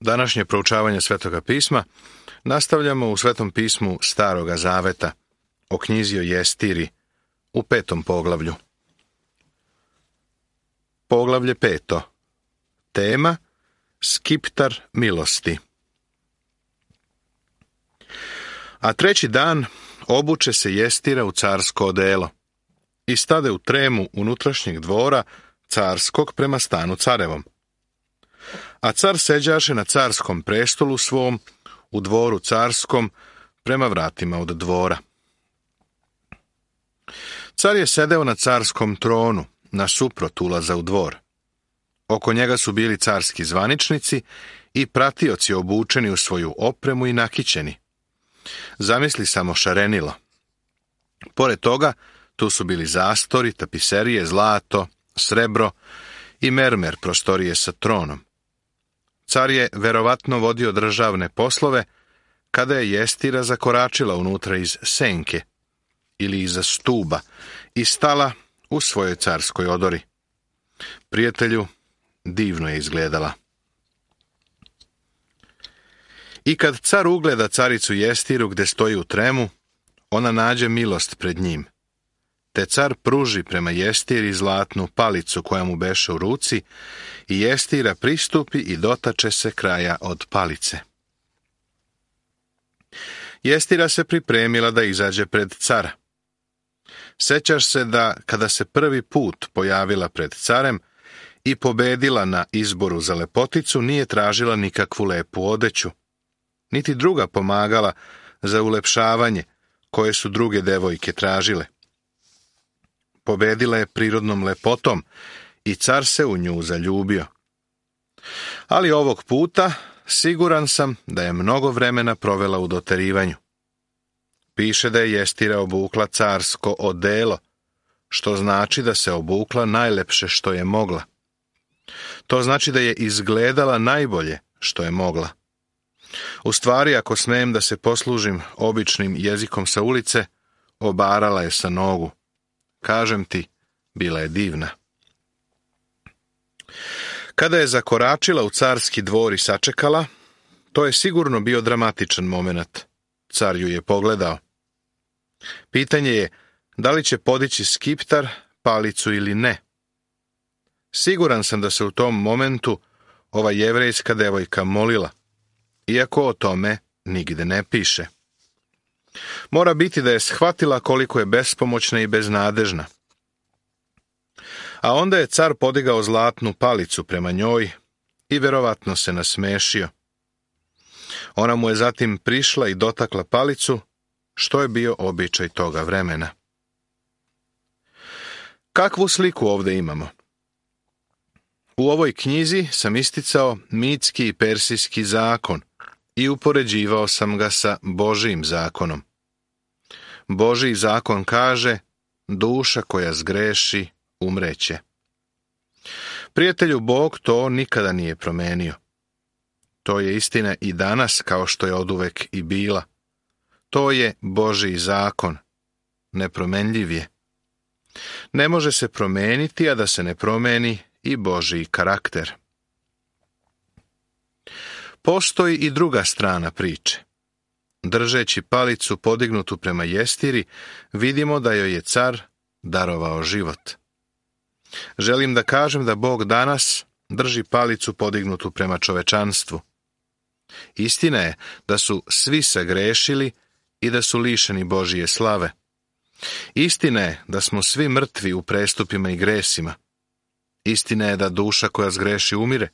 Današnje proučavanje Svetoga pisma nastavljamo u Svetom pismu Staroga zaveta, o knjizi o Jestiri, u 5. poglavlju. Poglavlje 5. Tema Skiptar milosti. A treći dan obuče se Jestira u carsko odelo i stade u tremu unutrašnjeg dvora carskog prema stanu carevom. A car seđaše na carskom prestolu svom, u dvoru carskom, prema vratima od dvora. Car je sedeo na carskom tronu, nasuprot ulaza u dvor. Oko njega su bili carski zvaničnici i pratioci obučeni u svoju opremu i nakićeni. Zamisli samo šarenilo. Pored toga, tu su bili zastori, tapiserije, zlato, srebro i mermer prostorije sa tronom. Car je verovatno vodio državne poslove kada je Jestira zakoračila unutra iz senke ili iza stuba i stala u svojoj carskoj odori. Prijatelju, divno je izgledala. I kad car ugleda caricu Jestiru gde stoji u tremu, ona nađe milost pred njim. Te car pruži prema Jestiri zlatnu palicu koja mu beše u ruci i Jestira pristupi i dotače se kraja od palice. Jestira se pripremila da izađe pred cara. Sećaš se da kada se prvi put pojavila pred carem i pobedila na izboru za lepoticu, nije tražila nikakvu lepu odeću, niti druga pomagala za ulepšavanje koje su druge devojke tražile. Pobedila je prirodnom lepotom i car se u nju zaljubio. Ali ovog puta siguran sam da je mnogo vremena provela u doterivanju. Piše da je Jestira obukla carsko odelo, što znači da se obukla najlepše što je mogla. To znači da je izgledala najbolje što je mogla. U stvari, ako smijem da se poslužim običnim jezikom sa ulice, obarala je sa nogu. Kažem ti, bila je divna. Kada je zakoračila u carski dvor i sačekala, to je sigurno bio dramatičan moment. Car ju je pogledao. Pitanje je, da li će podići skiptar, palicu ili ne. Siguran sam da se u tom momentu ova jevrejska devojka molila, iako o tome nigde ne piše. Mora biti da je shvatila koliko je bespomoćna i beznadežna. A onda je car podigao zlatnu palicu prema njoj i verovatno se nasmešio. Ona mu je zatim prišla i dotakla palicu, što je bio običaj toga vremena. Kakvu sliku ovdje imamo? U ovoj knjizi sam isticao mitski i persijski zakon i upoređivao sam ga sa Božijim zakonom. Božiji zakon kaže, duša koja zgreši, umreće. Prijatelju, Bog to nikada nije promenio. To je istina i danas kao što je oduvek i bila. To je Božiji zakon. Nepromenljiv je. Ne može se promeniti, a da se ne promeni i Božiji karakter. Postoji i druga strana priče. Držeći palicu podignutu prema Jestiri, vidimo da joj je car darovao život. Želim da kažem da Bog danas drži palicu podignutu prema čovečanstvu. Istina je da su svi sagrešili i da su lišeni Božije slave. Istina je da smo svi mrtvi u prestupima i gresima. Istina je da duša koja zgreši umire.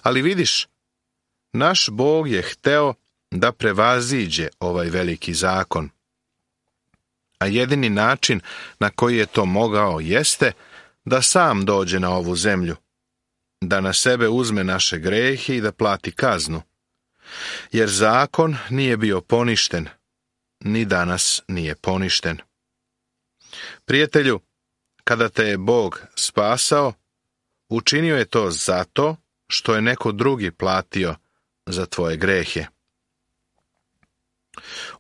Ali vidiš, naš Bog je hteo da prevaziđe ovaj veliki zakon. A jedini način na koji je to mogao jeste da sam dođe na ovu zemlju, da na sebe uzme naše grehe i da plati kaznu. Jer zakon nije bio poništen, ni danas nije poništen. Prijatelju, kada te je Bog spasao, učinio je to zato što je neko drugi platio za tvoje grehe.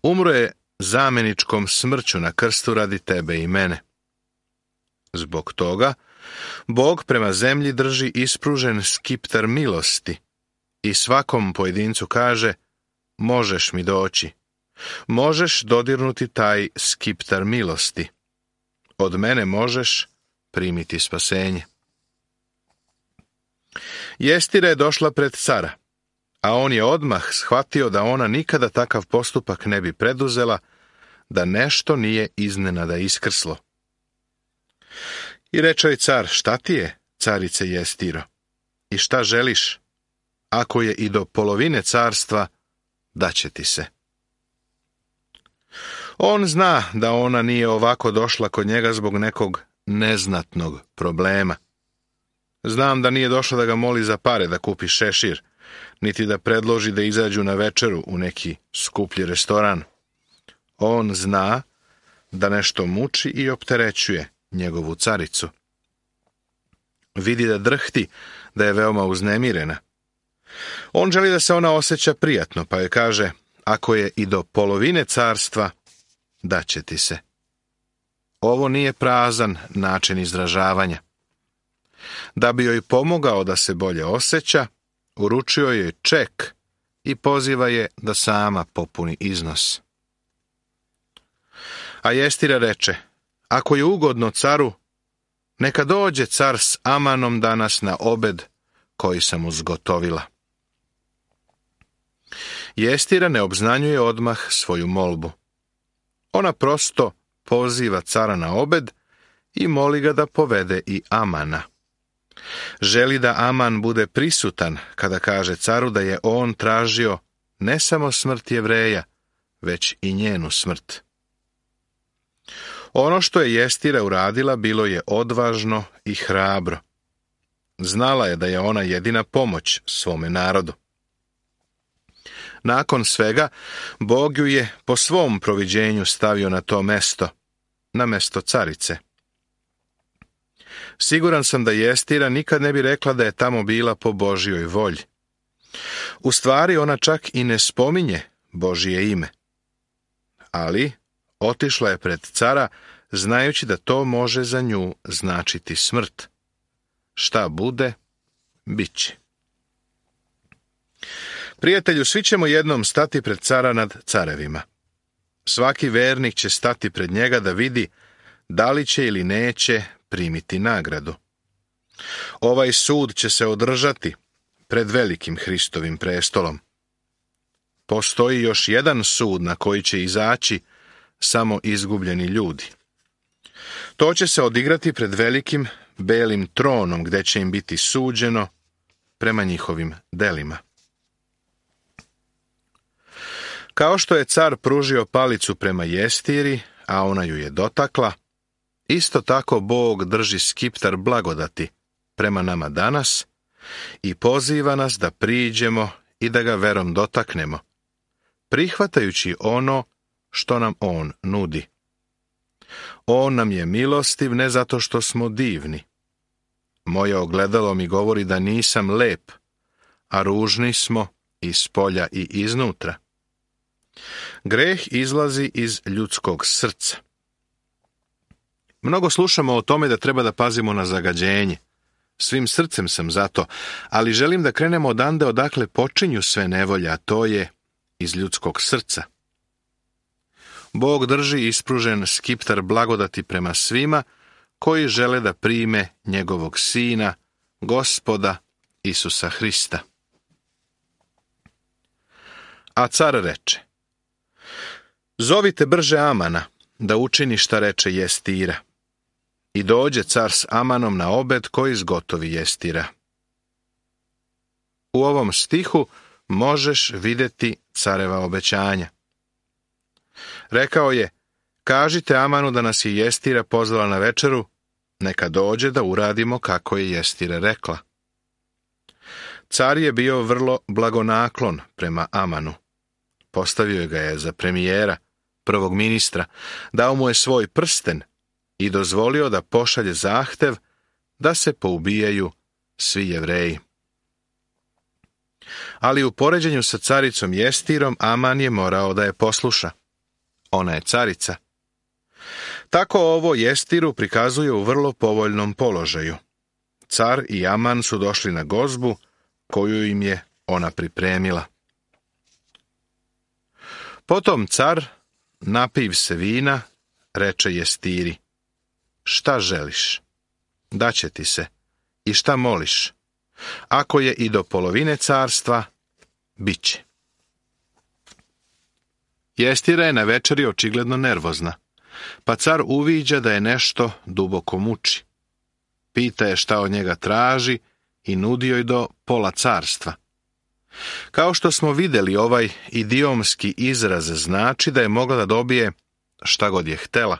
Umro je zamjeničkom smrću na krstu radi tebe i mene. Zbog toga, Bog prema zemlji drži ispružen skiptar milosti i svakom pojedincu kaže: možeš mi doći, možeš dodirnuti taj skiptar milosti, od mene možeš primiti spasenje. Jestira je došla pred cara, a on je odmah shvatio da ona nikada takav postupak ne bi preduzela, da nešto nije iznenada iskrslo. I reče joj car: šta ti je, carice Jestiro, i šta želiš? Ako je i do polovine carstva, daće ti se. On zna da ona nije ovako došla kod njega zbog nekog neznatnog problema. Znam da nije došla da ga moli za pare da kupi šešir, niti da predloži da izađu na večeru u neki skuplji restoran. On zna da nešto muči i opterećuje njegovu caricu. Vidi da drhti, da je veoma uznemirena. On želi da se ona osjeća prijatno, pa joj kaže: ako je i do polovine carstva, daće ti se. Ovo nije prazan način izražavanja. Da bi joj pomogao da se bolje osjeća, uručio joj ček i poziva je da sama popuni iznos. A Jestira reče: ako je ugodno caru, neka dođe car s Amanom danas na obed koji sam uzgotovila. Jestira ne obznanjuje odmah svoju molbu. Ona prosto poziva cara na obed i moli ga da povede i Amana. Želi da Aman bude prisutan kada kaže caru da je on tražio ne samo smrt Jevreja, već i njenu smrt. Ono što je Jestira uradila bilo je odvažno i hrabro. Znala je da je ona jedina pomoć svome narodu. Nakon svega, Bog ju je po svom proviđenju stavio na to mesto, na mesto carice. Siguran sam da Jestira nikad ne bi rekla da je tamo bila po Božjoj volji. U stvari, ona čak i ne spominje Božje ime. Ali otišla je pred cara, znajući da to može za nju značiti smrt. Šta bude, bit će. Prijatelju, svi ćemo jednom stati pred cara nad carevima. Svaki vernik će stati pred njega da vidi da li će ili neće primiti nagradu. Ovaj sud će se održati pred velikim Hristovim prestolom. Postoji još jedan sud na koji će izaći samo izgubljeni ljudi. To će se odigrati pred velikim belim tronom, gdje će im biti suđeno prema njihovim delima. Kao što je car pružio palicu prema Jestiri, a ona ju je dotakla, isto tako Bog drži skiptar blagodati prema nama danas i poziva nas da priđemo i da ga verom dotaknemo, prihvatajući ono što nam on nudi. On nam je milostiv ne zato što smo divni. Moje ogledalo mi govori da nisam lep, a ružni smo i spolja i iznutra. Greh izlazi iz ljudskog srca. Mnogo slušamo o tome da treba da pazimo na zagađenje. Svim srcem sam za to, ali želim da krenemo odande odakle počinju sve nevolje, a to je iz ljudskog srca. Bog drži ispružen skiptar blagodati prema svima koji žele da prime njegovog Sina, Gospoda Isusa Hrista. A car reče: zovite brže Amana da učini šta reče Jestira. I dođe car s Amanom na obed koji zgotovi Jestira. U ovom stihu možeš vidjeti careva obećanja. Rekao je: kažite Amanu da nas je Jestira pozvala na večeru, neka dođe da uradimo kako je Jestira rekla. Car je bio vrlo blagonaklon prema Amanu. Postavio ga je za premijera, prvog ministra, dao mu je svoj prsten i dozvolio da pošalje zahtev da se poubijaju svi Jevreji. Ali u poređenju sa caricom Jestirom, Aman je morao da je posluša. Ona je carica. Tako ovo Jestiru prikazuje u vrlo povoljnom položaju. Car i Aman su došli na gozbu koju im je ona pripremila. Potom car, napiv se vina, reče Jestiri: šta želiš? Daće ti se. I šta moliš? Ako je i do polovine carstva, bit će. Jestira je na večeri očigledno nervozna, pa car uviđa da je nešto duboko muči. Pita je šta od njega traži i nudi joj do pola carstva. Kao što smo vidjeli, ovaj idiomski izraz znači da je mogla da dobije šta god je htela.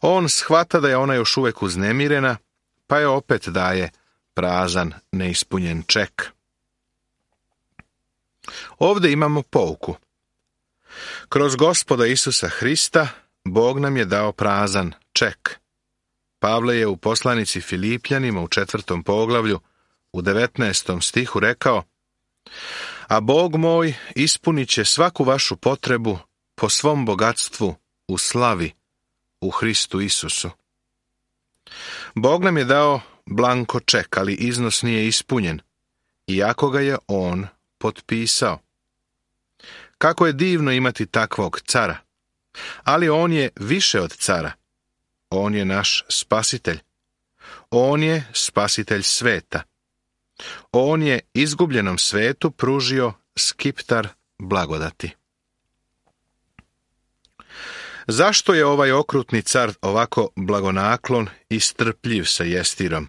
On shvata da je ona još uvijek uznemirena, pa je opet daje prazan, neispunjen ček. Ovdje imamo pouku. Kroz Gospoda Isusa Hrista Bog nam je dao prazan ček. Pavle je u poslanici Filipljanima u 4. poglavlju u 19. stihu rekao: a Bog moj ispunit će svaku vašu potrebu po svom bogatstvu u slavi u Hristu Isusu. Bog nam je dao blanko ček, ali iznos nije ispunjen, iako ga je on potpisao. Kako je divno imati takvog cara, ali on je više od cara. On je naš spasitelj. On je spasitelj sveta. On je izgubljenom svetu pružio skiptar blagodati. Zašto je ovaj okrutni car ovako blagonaklon i strpljiv sa Jestirom?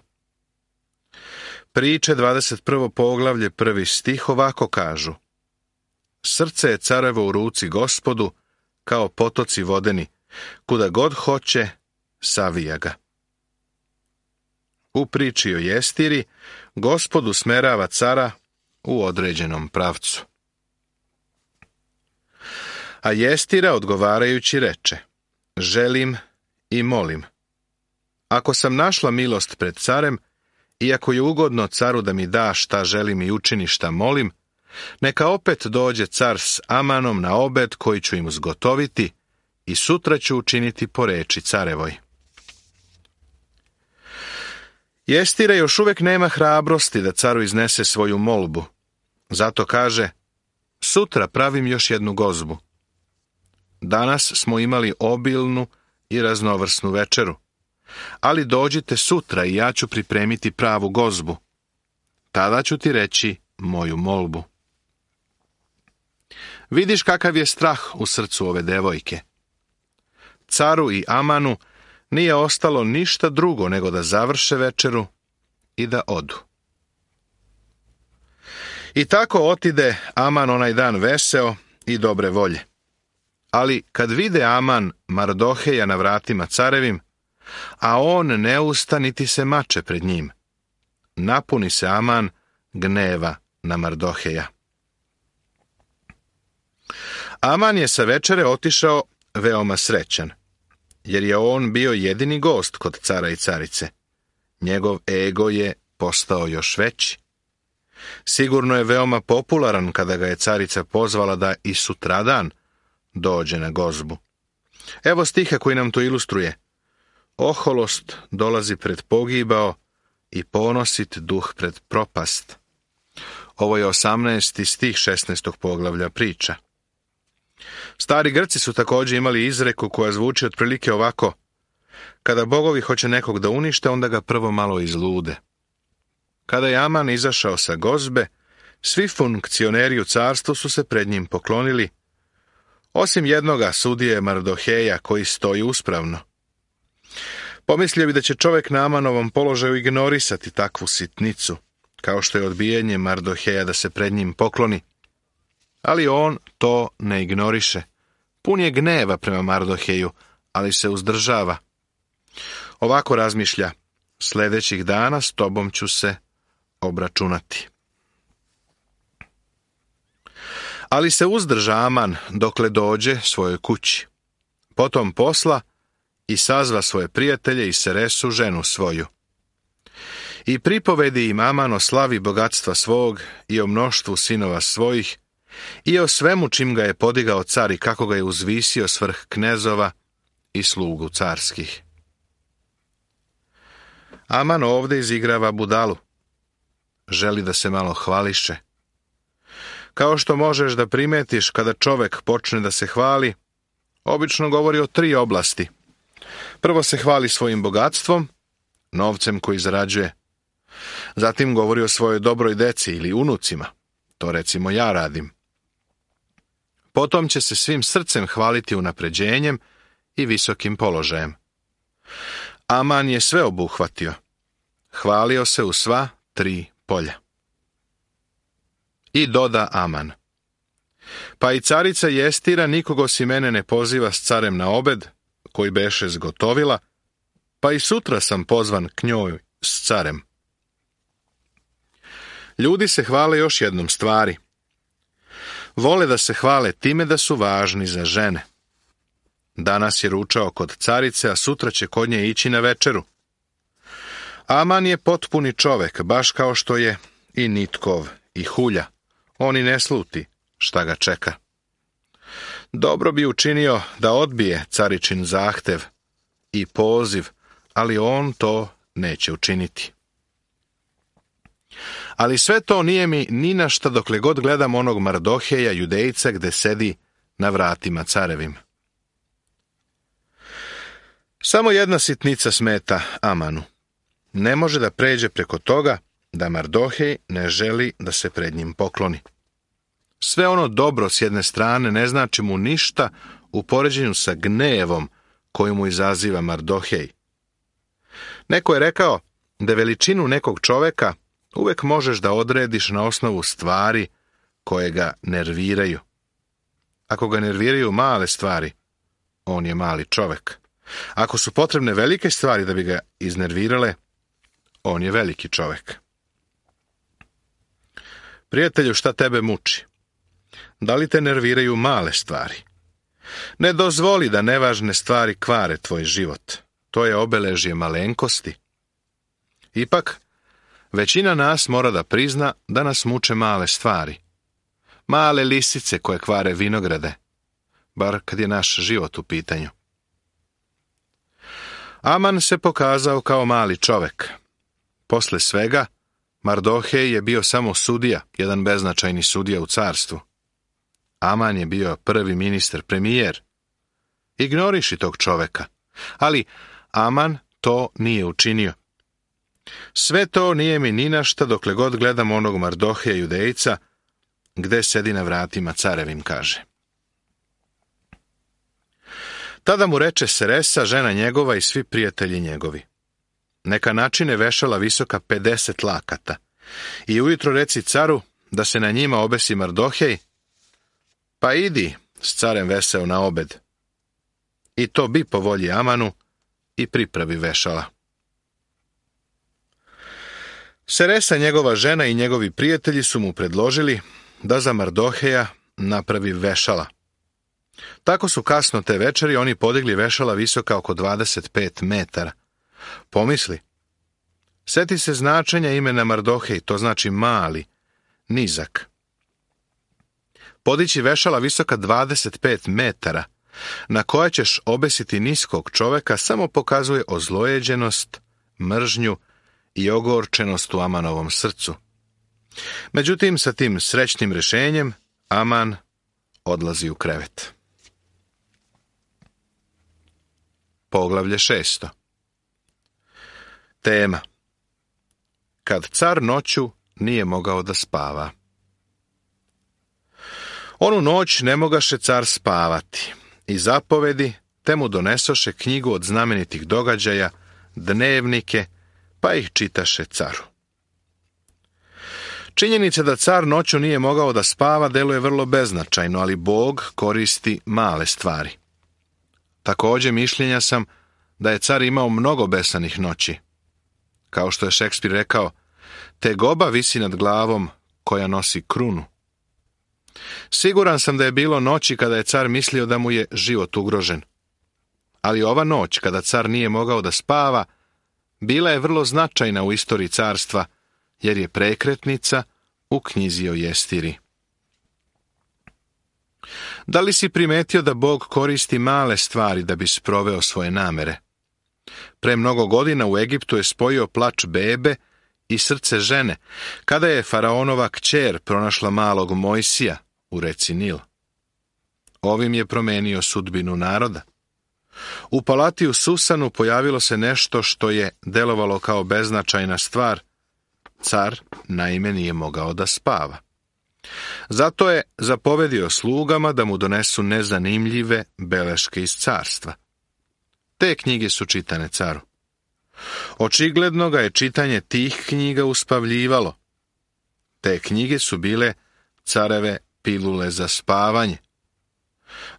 Priče 21. poglavlje 1. stih ovako kažu: srce je carevo u ruci Gospodu, kao potoci vodeni, kuda god hoće, savija ga. U priči o Jestiri, Gospod usmerava cara u određenom pravcu. A Jestira odgovarajući reče: želim i molim. Ako sam našla milost pred carem, i ako je ugodno caru da mi da šta želim i učini šta molim, neka opet dođe car s Amanom na obed koji ću im zgotoviti i sutra ću učiniti po reči carevoj. Jestira još uvijek nema hrabrosti da caru iznese svoju molbu. Zato kaže: sutra pravim još jednu gozbu. Danas smo imali obilnu i raznovrsnu večeru, ali dođite sutra i ja ću pripremiti pravu gozbu. Tada ću ti reći moju molbu. Vidiš kakav je strah u srcu ove devojke. Caru i Amanu nije ostalo ništa drugo nego da završe večeru i da odu. I tako otide Aman onaj dan veseo i dobre volje. Ali kad vide Aman Mardoheja na vratima carevim, a on ne usta niti se mače pred njim, napuni se Aman gneva na Mardoheja. Aman je sa večere otišao veoma srećan, jer je on bio jedini gost kod cara i carice. Njegov ego je postao još veći. Sigurno je veoma popularan kada ga je carica pozvala da i sutradan dođe na gozbu. Evo stiha koji nam to ilustruje: oholost dolazi pred pogibao i ponosit duh pred propast. Ovo je 18. stih 16. poglavlja priča. Stari Grci su također imali izreku koja zvuči otprilike ovako: kada bogovi hoće nekog da unište, onda ga prvo malo izlude. Kada je Aman izašao sa gozbe, svi funkcioneri u carstvu su se pred njim poklonili, osim jednoga sudije Mardoheja koji stoji uspravno. Pomislio bi da će čovjek na Amanovom položaju ignorisati takvu sitnicu, kao što je odbijanje Mardoheja da se pred njim pokloni. Ali on to ne ignoriše. Pun je gneva prema Mardoheju, ali se uzdržava. Ovako razmišlja: sljedećih dana s tobom ću se obračunati. Ali se uzdrža Aman dokle dođe svojoj kući. Potom posla i sazva svoje prijatelje i Seresu, ženu svoju. I pripovedi im Aman o slavi bogatstva svog i o mnoštvu sinova svojih i o svemu čim ga je podigao car i kako ga je uzvisio svrh knezova i slugu carskih. Aman ovdje izigrava budalu. Želi da se malo hvališe, Kao što možeš da primetiš kada čovek počne da se hvali, obično govori o 3 oblasti. Prvo se hvali svojim bogatstvom, novcem koji zarađuje. Zatim govori o svojoj dobroj deci ili unucima. To recimo ja radim. Potom će se svim srcem hvaliti unapređenjem i visokim položajem. Aman je sve obuhvatio. Hvalio se u sva 3 polja. I doda Aman: pa i carica Jestira nikog osim mene ne poziva s carem na obed, koji beše zgotovila, pa i sutra sam pozvan k njoj s carem. Ljudi se hvale još jednom stvari. Vole da se hvale time da su važni za žene. Danas je ručao kod carice, a sutra će kod nje ići na večeru. Aman je potpuni čovek, baš kao što je i Nitkov i Hulja. On i ne sluti šta ga čeka. Dobro bi učinio da odbije caričin zahtev i poziv, ali on to neće učiniti. Ali sve to nije mi ni na šta dokle god gledam onog Mardoheja, Judejca, gde sedi na vratima carevim. Samo jedna sitnica smeta Amanu. Ne može da pređe preko toga da Mardohej ne želi da se pred njim pokloni. Sve ono dobro s jedne strane ne znači mu ništa u poređenju sa gnevom koju mu izaziva Mardohej. Neko je rekao da veličinu nekog čoveka uvek možeš da odrediš na osnovu stvari koje ga nerviraju. Ako ga nerviraju male stvari, on je mali čovek. Ako su potrebne velike stvari da bi ga iznervirale, on je veliki čovek. Prijatelju, šta tebe muči? Da li te nerviraju male stvari? Ne dozvoli da nevažne stvari kvare tvoj život. To je obeležje malenkosti. Ipak, većina nas mora da prizna da nas muče male stvari. Male lisice koje kvare vinograde, bar kad je naš život u pitanju. Aman se pokazao kao mali čovek. Posle svega, Mardohej je bio samo sudija, jedan beznačajni sudija u carstvu. Aman je bio prvi ministar, premijer. Ignoriši tog čoveka. Ali Aman to nije učinio. Sve to nije mi ni na šta dokle god gledam onog Mardoheja Judejca, gde sedi na vratima carevim, kaže. Tada mu reče Seresa, žena njegova i svi prijatelji njegovi: neka načine vešala visoka 50 lakata i ujutro reci caru da se na njima obesi Mardohej, pa idi s carem veseo na obed. I to bi po volji Amanu i pripravi vešala. Seresa, njegova žena i njegovi prijatelji su mu predložili da za Mardoheja napravi vešala. Tako su kasno te večeri oni podigli vešala visoka oko 25 metara. Pomisli, seti se značenja imena Mardohej, to znači mali, nizak. Podići vešala visoka 25 metara, na koja ćeš obesiti niskog čoveka, samo pokazuje ozlojeđenost, mržnju i ogorčenost u Amanovom srcu. Međutim, sa tim srećnim rešenjem, Aman odlazi u krevet. Poglavlje 6. Tema: kad car noću nije mogao da spava. Onu noć ne mogaše car spavati i zapovedi te mu donesoše knjigu od znamenitih događaja, dnevnike, pa ih čitaše caru. Činjenica da car noću nije mogao da spava deluje vrlo beznačajno, ali Bog koristi male stvari. Također mišljenja sam da je car imao mnogo besanih noći. Kao što je Šekspir rekao, tegoba visi nad glavom koja nosi krunu. Siguran sam da je bilo noći kada je car mislio da mu je život ugrožen. Ali ova noć, kada car nije mogao da spava, bila je vrlo značajna u istoriji carstva, jer je prekretnica u knjizi o Jestiri. Da li si primetio da Bog koristi male stvari da bi sproveo svoje namere? Pre mnogo godina u Egiptu je spojio plač bebe i srce žene, kada je faraonova kćer pronašla malog Mojsija u reci Nil. Ovim je promenio sudbinu naroda. U palati u Susanu pojavilo se nešto što je delovalo kao beznačajna stvar. Car naime nije mogao da spava. Zato je zapovedio slugama da mu donesu nezanimljive beleške iz carstva. Te knjige su čitane caru. Očigledno ga je čitanje tih knjiga uspavljivalo. Te knjige su bile careve pilule za spavanje.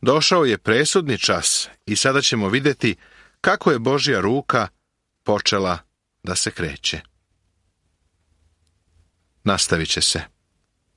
Došao je presudni čas i sada ćemo vidjeti kako je Božja ruka počela da se kreće. Nastavit će se.